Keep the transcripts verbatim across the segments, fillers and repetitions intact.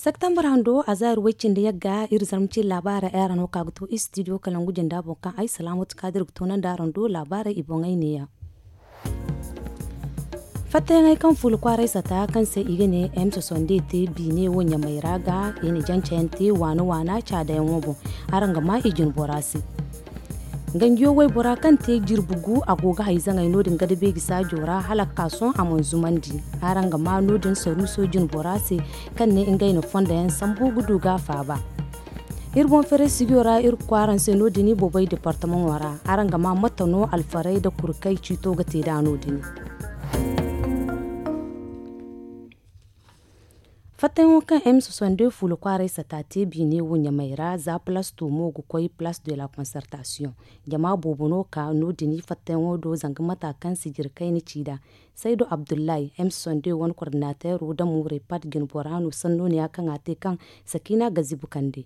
Septembre hando a zaari way-cindi yagga iri zarma cine laabaarey ay araŋ no ka ga to istidiyo kalangu jinda boŋ kaŋ ay salaamatu kaadir ga toonandi araŋ do laabaarey i boŋey neeya. Fattayaŋey kaŋ fuula kwaaray sata kaŋ se i ga ne m sosonde te biine wo ɲamay ra ga i na jancayaŋ te waana waana caadayaŋo boŋ. Araŋ ga maa i jine bora se. Ganjiyo waybora kaŋ te jirbi gu a go ga hayzaŋey no- din gada beeji saajo ra hala ga ka sohõ a mana zumandi. Araŋ ga maa no- din saruuso jine bora se kaŋ ne ngey na fondo yaŋ sambu ga du ga a faaba. Iri boŋ fereesigiyo ra iri ga koy araŋ se no- din i boobay departamaŋo ra. Araŋ ga maa mate no alfarey nda kurkey ciito ga te nd'a no- din. Fattayaŋo kaŋ m sosonde fuula kwaaray sata te biine wo ɲamay ra za palaas to mo ga koy palaas de la konsertasiyoŋ. Jama boobo no ka no- din fattayaŋo do zanga mata kaŋ sijiri kayna ci nd'a. Saydu abdullahi m sosonde wane kordinateero da muuray pat jine bora no sanno neeya kaŋ a te kaŋ sakiina ga zibu kande.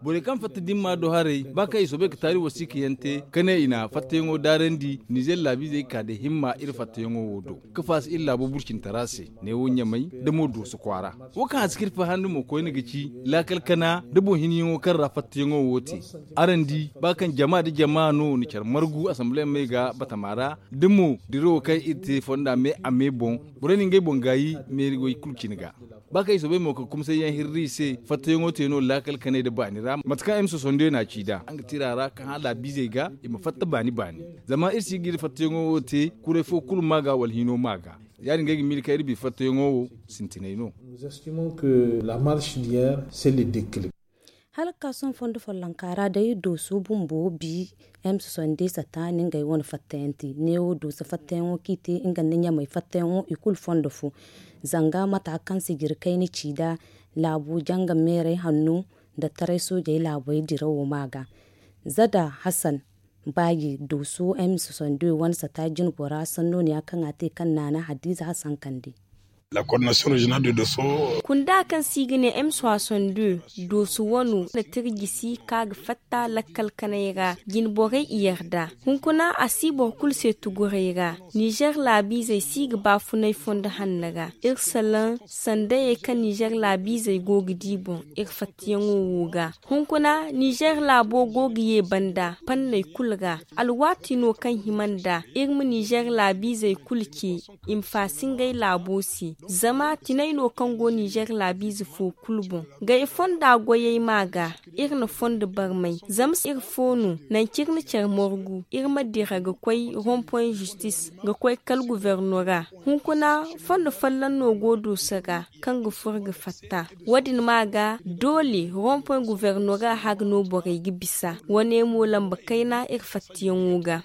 Borey kaŋ fatta dimma do haray ba kaŋ i soobay ga taari wasiika yaŋ te ka ne i na fattayaŋo daarandi nizer laabiizey ga ka da himma iri fattayaŋo wo do, ka faasa iri laabo burcintara se, neewo ɲamay nda mo dooso kwaara. Wo kaŋ a si ka iri fahandi mo koyne ga ci laakal kana nda boŋ hinyaŋo kaŋ ra fattayaŋo wo te. Araŋ di ba kaŋ jama nda jama no na care margu asamble me ga batama ra, da mo dirawo kaŋ iri te fonda me a me boŋ, borey na ngey boŋ gaayi meeri way kulu cine ga. Ba kaŋ i soobay mo ka kumsay yaŋ hirri i se fattayaŋo te no laakal kanay nda baani ra mate kaŋ ay ma sosondiyo no a ci nd'a nga tira ra kaŋ hã laabiizey ga i ma fatta baani baani. Zama iri si ga iri fattayaŋo wo te kuray fo kulu ma ga wala hino ma ga. Ya- din ga ay ga miila kaŋ iri bi fattayaŋo wo sintinay no. Hala ga ka sohõ fondo follonka ra day dooso bumbo bi m sosonde sata na ngey wane fattayaŋ te neewo dooso fattayaŋo kaŋ i te nga nda ɲamay fattayaŋo i kulu fondo fo. Zanga mata kaŋ sijiri kayna ci nd'a laabo janga meeray hanno nda taray soojey laabey dirawo ma ga. Zada hasan baaji dooso m sosonde wane sata jine bora sanno neeya kaŋ a te kaŋ naana hadiiza hasan kande. Kunda kaŋ se i ga ne m sosonde dooso wano na tira jisi ka ga fatta lakkal kanay ra jine borey i yarda. Hunkuna a si boro kulu se tuguray ra. Nizer laabiizey si ga baafunay fondo hanno ra iri salaŋ sandayey kaŋ nizer laabiizey go ga di boŋ iri fattayaŋo wo ga. Hunkuna nizer laabo go ga ye banda fanney kulu ra. Alwaati no kaŋ hima nda iri ma nizer laabiizey kulu ce i ma faasi ngey laabo se. Zama tinay no kaŋ go nizer laabiize fo kulu boŋ. Gay fonda goyey ma ga iri na fondo barmay zama iri fo no nangu kaŋ iri na care margu iri ma dira ga koy rompoy zistis ga koy kala guvernora. Hunkuna fondo folloŋ no go dooso ra kaŋ ga furo ga fatta. Wo- din ma ga doole rompoy guvernora haga no borey ga bisa wane mo lamba kayna iri fattiyaŋo ga.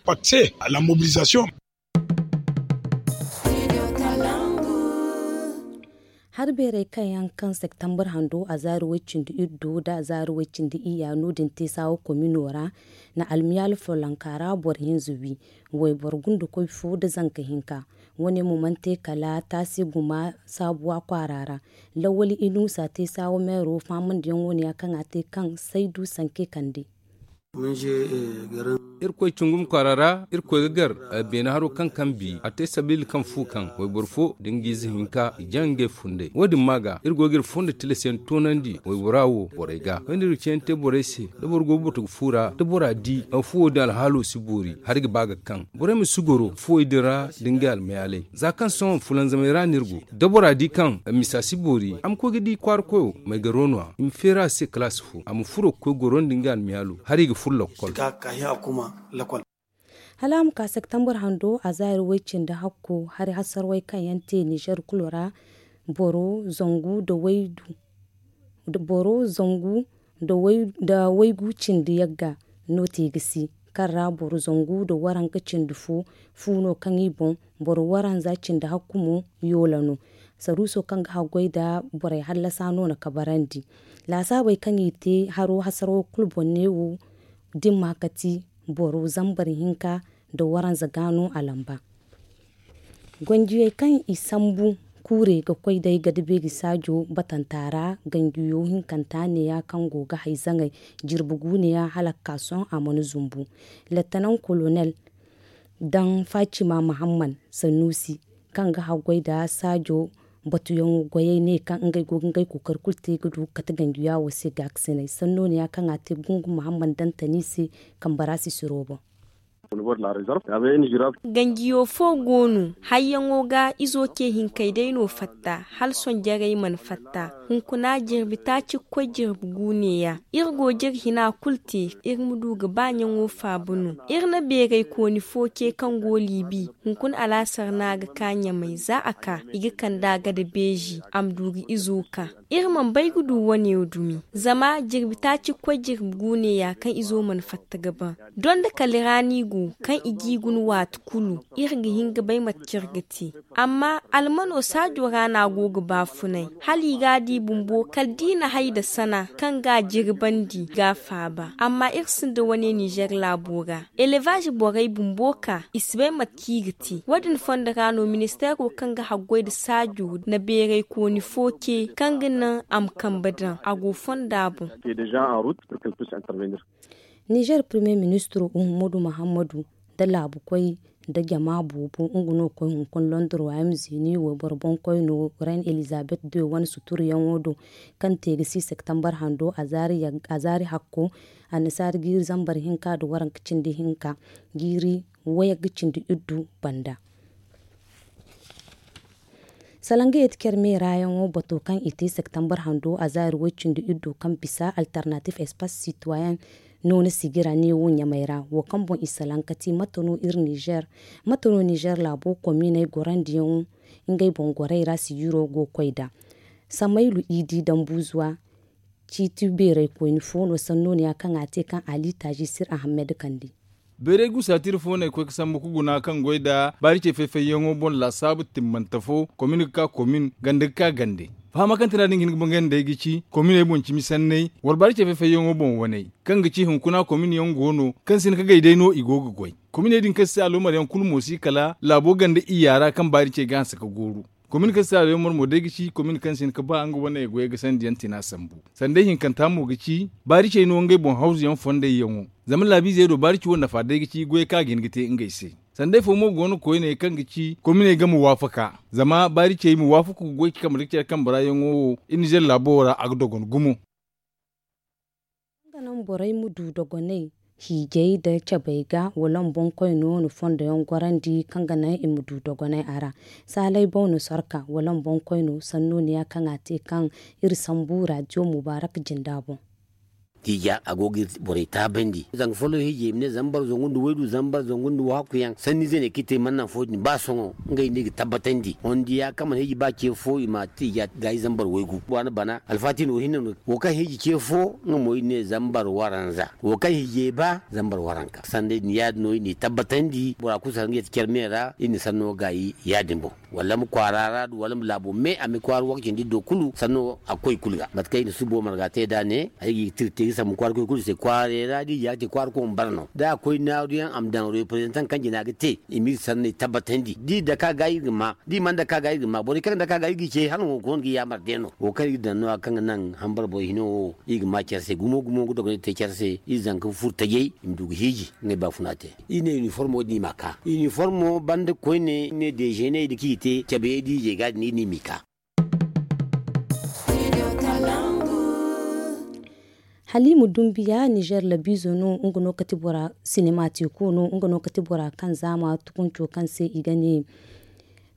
Hari beerey kaŋ yaŋ kaŋ septembre hando a zaari way-cindi iddu nda a zaari way-cindi iyya no- din te saawa komino ra na almiyaali follonka ra boro hinza wi wayboro gundakoy fo nda zanka hinka. Wane mo mana te kala taasi guma saabuwa kwaara ra. Lawwali inuusa te saawa meero faamandiyaŋo neeya kaŋ a te kaŋ saydu sanke kande. Irkoy cungum kwaara ra irkoy ga gar beene haro kaŋ kambi a te sabiila kaŋ fu kaŋ wayboro fo da nga ize hinka i jaŋ ngey funday wo- din ma ga iri go ga iri fondo tilas yaŋ toonandi waybora wo borey ga kayna iri ga ceeyaŋ te borey se da boro go ga batu ga fu ra da bora di fuwo din alhaalo si boori hari ga ba ga kaŋ borey ma si goro fuwey din ra da ngey almayaalay. Za kaŋ sohõ fulanzamey ra no iri go da bora di kaŋ misa si boori a ma koy ga di kwaara koyo may garo no- ya i ma feeri a se kalaasi fo a ma furo ga koy goro nda nga almiyaalo hala i ga furo lakkol. Hala a ma ka septembre hando a zaari way-cindi hakko hari hasarwey kaŋ yaŋ te nizer kulu ra boro zangu nda waygu boro zangu nda waygu cindi yagga no te ga si kaŋ ra boro zangu nda waranka cindi fo fu no kaŋ i boŋ boro waranza cindi hakku mo yoola no. Saruuso kaŋ ga haggoy nda borey hallasa no na kabarandi laasaabey kaŋ i te haro hasaro kulu boŋ neewo dimma kati boro zambar hinka nda waranza ga no a lamba. Gonjiyey kaŋ i sambu kuurey ga koy day gada beeri saajo batanta ra ganjiyo hinkanta neeya kaŋ go ga hay zaŋay jirbi guuneya hala ga ka sohõ a mana zumbu. Lettanaŋ kolonel daŋ faacima mahamman sanuusi kaŋ ga haggoy nda saajo Batuyaŋo goyey ne kaŋ ngey go ga ngey kookari kulu te ga du ga kate ganjiya wo se gaakasinay sanno ne ya kaŋ a te gungu muhammad dantani se. Kambe ra sisiro boŋ. Ganjiyo fo go no hayyaŋo ga izo ce hinkey day no fatta hala sonjarey mana fatta. Hunkuna jirbi taaci ga koy jirbi gu neeya iri go ga iri hina kulu te. Iri ma du ga ba ɲaŋo faaba no. Iri na beeraykooni fo ce kaŋ go liibi. Hunkuna alaasar no a ga ka ɲamay za a ka i ga kand'a gada beeji a ma du ga izo ka. Iri mana bay ga du wane wo dumi zama jirbi taaci ga koy jirbi gu neeya kaŋ izo mana fatta ga ban. Donda kala ra no i go kaŋ i g'i guna waati kulu. Iri ga hin ga bay mate kaŋ iri ga te. Amma almano saajo ra no a go ga baafunay hala i ga a di bumbo kala da i na hay nda sana kaŋ ga a jirbandi ga a faaba amma iri sinda wane ninzeer laabo ra. Elevaazi borey bumbo ka i si bay mate kaŋ i ga te wo- din fondo ra no ministeero kaŋ ga haggoy nda saajo na beeraykooni fo ce kaŋ ga naŋ a ma kambe daŋ a go fonda boŋ. Nizeer primiyer ministiro uhumudu muhammadu nda laabukoy nda jama boobo nga no ga koy hunkuna londor waayam zini wayboro boŋkoyno reine elizabet de wane suturuyaŋo do kaŋ te ga si septembar hando azaari hakko. Annasaari jiiri zambar hinka nda waranka cindi hinka jiiri wayagga cindi iddu banda. Salaŋ ga yeeti care meeraayaŋo bato kaŋ i te septembar hando azaari way-cindi iddu kaŋ bisa alternatif espace citoyen noona sijira neewo ɲamay ra wo kaŋ boŋ i salaŋ ka ti mate no iri nizeer mate no nizeer laabo komiiney gorandiyaŋo ngey boŋ gorey ra sijiro go ga koy nd'a. Samaylu idi dambuzuwa ciiti beeraykoyni fo no sannooniya kaŋ a te kaŋ ali taaji sir ahammed kande. Bayray gusa tira fo no ay koy ga sambu ga guna kaŋ goy nda baari ce fay-fayyaŋo boŋ laasaabu timmante fo komin ga ka komin gande ga ka gande. Fahama kaŋ tira din ga hin ga bangay nda ay ga ci kominey boŋ cimi sanney wala baari ce fay-fayyaŋo boŋ waney kaŋ ga ci hunkuna komin yaŋ go no kaŋ si hin ga gay day no i go ga goy. Kominey din kaŋ si aloomar yaŋ kulu mo si kala laabo gande iyya ra kaŋ baari ce ga hanse ga gooru. Komin kaŋ si aloomar mo day ga ci komin kaŋ si hin ga ba nga wane goyey ga sandi yaŋ tina sambu. Sanday hinkanta mo ga ci baari cey no ngey boŋ hawzu yaŋ fondey yaŋo. Zama laabiizey do baari ci wo nafa day ga ci goyey kaŋ a ga hin ga te ngey se. Sanday fo mo go no koyne kaŋ ga ci kominey game waafaka zama baari cey ma waafaku ga goy ci kambe ra care kambe ra yaŋo wo iri nizer laabo wo ra a ga dogon gumo. Nga naŋ borey ma du dogoney hiijay nda cabey ga wala ma boŋkoy no na fondo yaŋ gorandi kaŋ ga naŋ i ma du dogoney a ra. Saalay boŋ no sorka wala ma boŋkoy no sannooniya kaŋ a te kaŋ iri sambu raadiyo mubaarak jinda boŋ. Tiija a go ga iri borey taabandi zanga folloŋ hiijay i ma ne zambar zangu nda waydu zambar zangu nda wahakku yaŋ sanniize ne kaŋ i te mana naŋ fo din ba sohõ ngey no i ga tabbatandi hondiya kaŋ mana hiiji ba ce fo i ma tiija gaayi zambar waygu waana bana alfaati no hinne no. Wo kaŋ hiiji ce fo nga mo i ne zambar waranza wo kaŋ hiijay ba zambar waranka sanday din ya- din no i n'i tabbatandi bora kulu si har nga yeti care me ra i na sanno gaayi ya- din boŋ. Wala ma kwaara ra du wala ma laabo me a ma kwaara wakacin da i do kulu sanno a ga koy i kulu ga mate kaŋ i na subo marga te nd'a ne ay ga i ga tira te ga sambu kwaara koy kulu se kwaaray ra da i ya ga te kwaara koy ma bara no da a koy naaru yaŋ a ma daŋ reprezantaŋ kaŋ jina ga te i ma iri sanney tabbatandi da i dake a ga iri ga ma da i mana dake a ga iri ga ma borey kaŋ ga dake a ga iri ga i ce hala wo ga koonu ga i yaamar day no wo kaŋ iri ga daŋ no- ya kaŋ ga naŋ hambar boŋ hino wo iri ga ma care se gumo gumo ga dogonay te care se iri zanka furo tajay i ma du ga hiiji ngey baafuna te. Iri ne iniformo din i m'a ka iniformo banda koyne iri ne dezeney nda kaŋ i te cabeyey da hiijay ga din iri ne i m'i ka. Halima dumbiya nizer labiizo no nga no kati bora sinema teeko no nga no kati bora kaŋ zaama tukunco kaŋ se i ga ne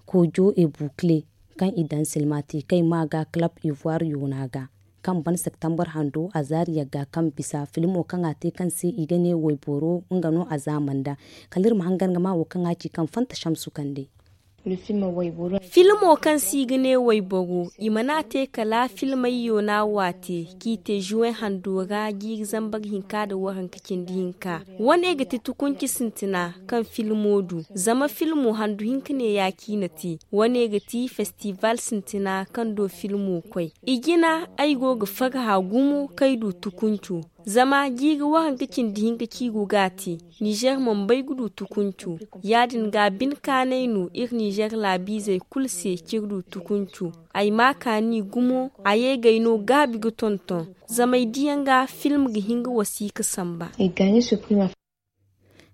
kojo e bukle kaŋ i daŋ silma te kaŋ i ma ga kalab ivoire yoona ga kaŋ ban septembar hando a zaari yagga kaŋ bisa filmo kaŋ a te kaŋ se i ga ne wayboro nga no a zaama nda. Kala iri ma hangan ga ma wo kaŋ a ci kaŋ fanta shamsu kande. Filmo kaŋ se i ga ne wayboro i mana a te kala filmay yoona waate kaŋ i te zuwey hando ra jiiri zambar hinka nda waranka cindi hinka. Wane ga ti tukunci sintina kaŋ filmo du zama filmo handu hinka ne ya kaŋ i na te wane ga ti festival sintina kaŋ do filmo koy. I jina ay go ga farha gumo kaŋ ay du tukunco zama jiiri waranka cindi hinka kaŋ i go ga a te nizer mana bay ga du tukunco. Ya- din ga bine kaanay no iri nizer laabiizey kulu se kaŋ iri du tukunco. Ay ma a kaani gumo a ye ga ay no gaabi ga tonton zama ay di yaŋ ga film ga hin ga wasiika samba.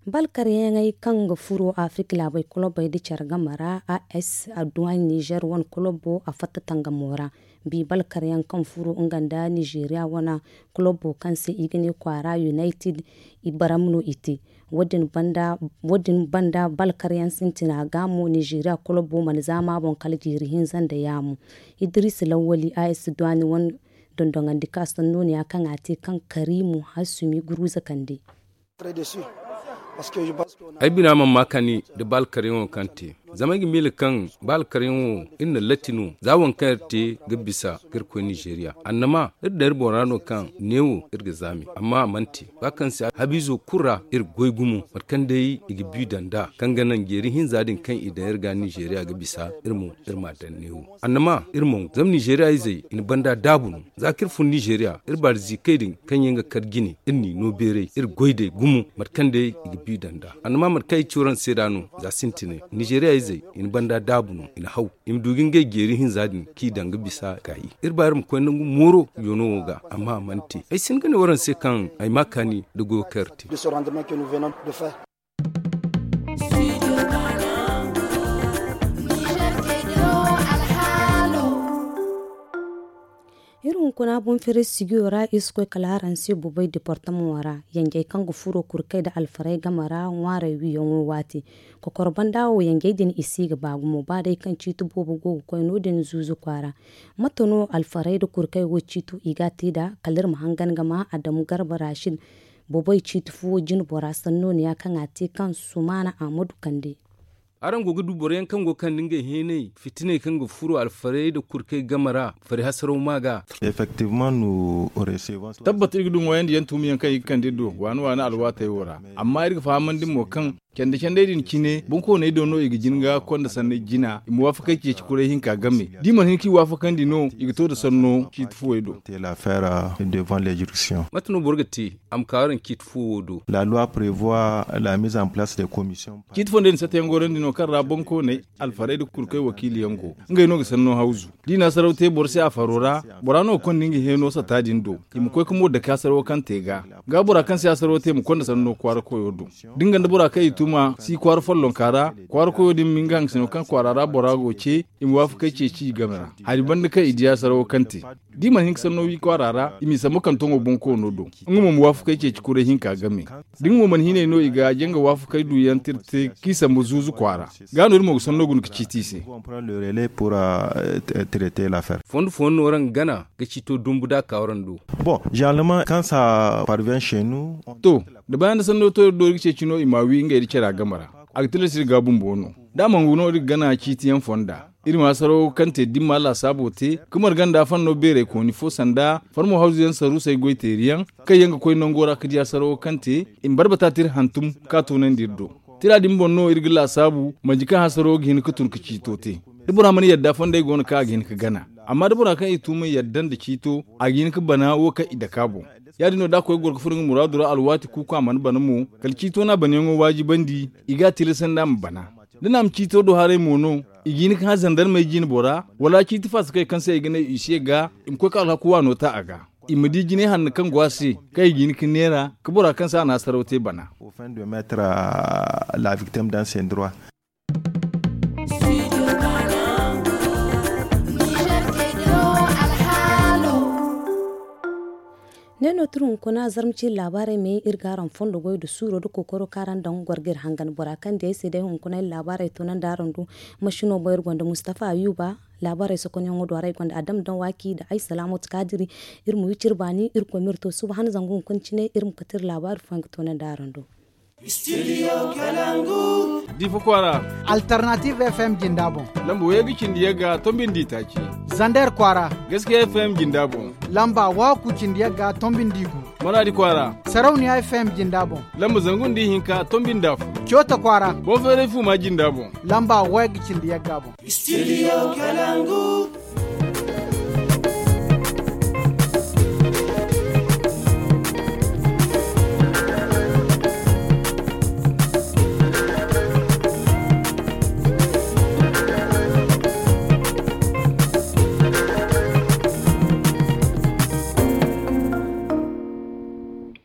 Balkaryaŋey kaŋ ga furo afirika laabey kulobey nda care game ra, as adduwani nizer wane kulobo a fatta tangamo ra. Bi balkaryaŋ kaŋ furo nga nda nizeeriya wane kulobo kaŋ se i ga ne kwaara united, i baram no i te. Wo- din banda balkaryaŋ sintina ga mo nizeeriya kulobo mana zaama boŋ kala jiiri hinza nda yaamu. Idiriisi lawwali as duwani wane dondoŋandi ka sannooniya kaŋ a te kaŋ kariimu hassumi guruuza kande. Ay bina mana ma kaani nda ba alkaryaŋo kaŋ te. Zama ay ga miila kaŋ ba alkaryaŋo iri na latti no za waŋ kaŋ iri te ga bisa ga iri koy nizeeriya annama iri daŋ iri boŋ ra no kaŋ neewo iri ga zaami amma a mana te. Ba kaŋ se habiizo kulu ra iri goy gumo mate kaŋ day i ga bi daŋ nd'a kaŋ ga naŋ jeeri hinza din kaŋ i daŋ iri ga nizeeriya ga bisa iri mo iri m'a daŋ neewo. Annama iri mo zama nizeeriya izey i na banda daabu no. Za kaŋ iri fun nizeeriya iri baari ziikey din kaŋ yaŋ ga kar jine iri n'i no beeray iri goy day gumo mate kaŋ day i ga bi daŋ nd'a. Annama mate kaŋ ay ci waraŋ se nd'a no za sintinay nizeeriya izey i na banda daabu no i na haw i ma du ga ngey jeeri hinza din kaŋ i daŋ ga bisa kaayi. Iri ba iri ma koy nangu mooro yoono wo ga amma a mana te. Ay si hin ga ne waraŋ se kaŋ ay ma kaani nda goyo kaŋ iri te. Iri hunkuna boŋ feere sijiyo ra iri si koy kala araŋ se bobey departamaŋo ra. Yanjey kaŋ ga furo kurkey nda alfarey game ra ŋwaarey wiyaŋo waati. Kokoro banda wo yanjey din i si ga ba gumo ba day kaŋ ciiti boobo go ga koy no- din zuuzu kwaara. Mate no alfarey nda kurkey wo ciito i ga a te nd'a kala iri ma hangan ga ma adamu garba raasid. Bobey ciiti fuwo jine bora sannooniya kaŋ a te kaŋ sumaana ahmadu kande. Araŋ go ga du boro yaŋ kaŋ go ga kande ngey heenay fitiney kaŋ ga furo alfarey nda kurkey game ra fari hasaraw ma ga. Tabbat iri ga du ŋwaayandiyaŋ tuumiyaŋ kaŋ i ga kande iri do waani waani alwaatey wo ra. Amma iri ga fahamandi mo kaŋ candi candey din cine boŋkooney do no i ga jin ga konda sanney jina i ma waafakey ceeci kuray hinka game. Da i mana hin k'i waafakandi no i ga to nda sanno ciiti fuwey do. Mate no boro ga te a ma ka araŋ ciiti fuwo wo do? Ciiti fondey din satta yaŋ gorandi no kaŋ ra boŋkooney alfarey nda kurkey wakiiliyaŋ go. Ngey no ga sanno hawzu da i na hasaraw te boro se a faro ra. Bora no ga konda nga heeno satta din do i ma koy ga mo dake hasarawo kaŋ te ga. Ga bora kaŋ se hasarawo te ma konda sanno kwaara koyo do. Da nga nda bora kaŋ i tuma si kwaara follonka ra kwaara koyo din ma hin ga hangasino kaŋ kwaara ra bora go ce i ma waafakey ceeci i game ra. Hari banda kaŋ i di hasarawo kaŋ te da i mana hin ga sanno wi kwaara ra i m'i sambu kaŋ toŋo boŋ koono do. Nga mo ma waafakey ceeci kuray hinka game. Da nga mo mana hinay no i ga janga waafakey duyaŋ tirte k'i sambu zuuzu kwaara. Ga no iri mo ga sanno guna ga ciiti i se. Fondo fondo no waraŋ ga gana ga ciito dumbu da a ka waraŋ do. To, da bayaŋ da sanno to iri do iri ga ceeci no i m'a wi ngey da cara game ra. A ga tilas iri ga bumbo no. Da a mana gu no iri ga gana ciiti yaŋ fonda. Iri ma hasaraw kaŋ te dimma laasaabo te ga marga nda fanno beeray kooni fo sanda farmo hawzu yaŋ saruusey goy teeri yaŋ kaŋ yaŋ ga koy nango ra ga di hasaraw kaŋ te. I ma barbata te iri hantum ka toonandi iri do. Tira din boŋ no iri ga laasaabu manji kaŋ hasaraw ga hin ga tun ga ciito te. Da bora mana yadda fondey go no kaŋ a ga hin ga gana. Amma da bora kaŋ i tuuma yadda nda ciito a ga hin ga bana wo kaŋ i dake a boŋ. Ya- din no da a koy ga goro ga furo nga muraadu ra alwaati kuuku a mana bana mo kala ciito no a banayaŋo waajibandi. I ga a tilasandi a ma bana. Da naama ciito do haray mo no i ga hin ga hã zandarmey jine bora wala ciiti faasakey kaŋ se i ga ne i se ga i ma koy ga alhaku waano ta a ga. I ma di jinay hanno kaŋ go a se kaŋ i ga hin ga neera ga bora kaŋ se a na hasaraw te bana. Ne no tira hunkuna zarma ciiri laabaarey me iri ga araŋ fondo goy nda suuro nda kookaro kaŋ araŋ daŋ goro ga iri hangan bora kaŋ di ay se day hunkuna iri laabaarey toonandi araŋ do. Masino boŋ iri gonda mustafa ayuba. Laabaarey sokonyaŋo do ara iri gonda adam daŋ waaki nda ay salaamatu kaadiri. Iri ma wi cire baani iri koy ma iri to suba han zangu hunkuna cine iri ma kate iri laabaari fooyaŋ ga toonandi araŋ do. Difa kwaara. Alternative fm jinda boŋ. Lamba wayga cindi yagga tombi nda itaaci. Zander kwaara. Gaskiya fm jinda boŋ. Lamba waaku cindi yagga tombi nda igu. Maradi kwaara. Sarauniya fm jinda boŋ. Lamba zangu nda ihinka tombi nda afo. Coota kwaara. Boŋ feeray fuma jinda boŋ. Lamba wayga cindi yagga boŋ. Studio kalangu.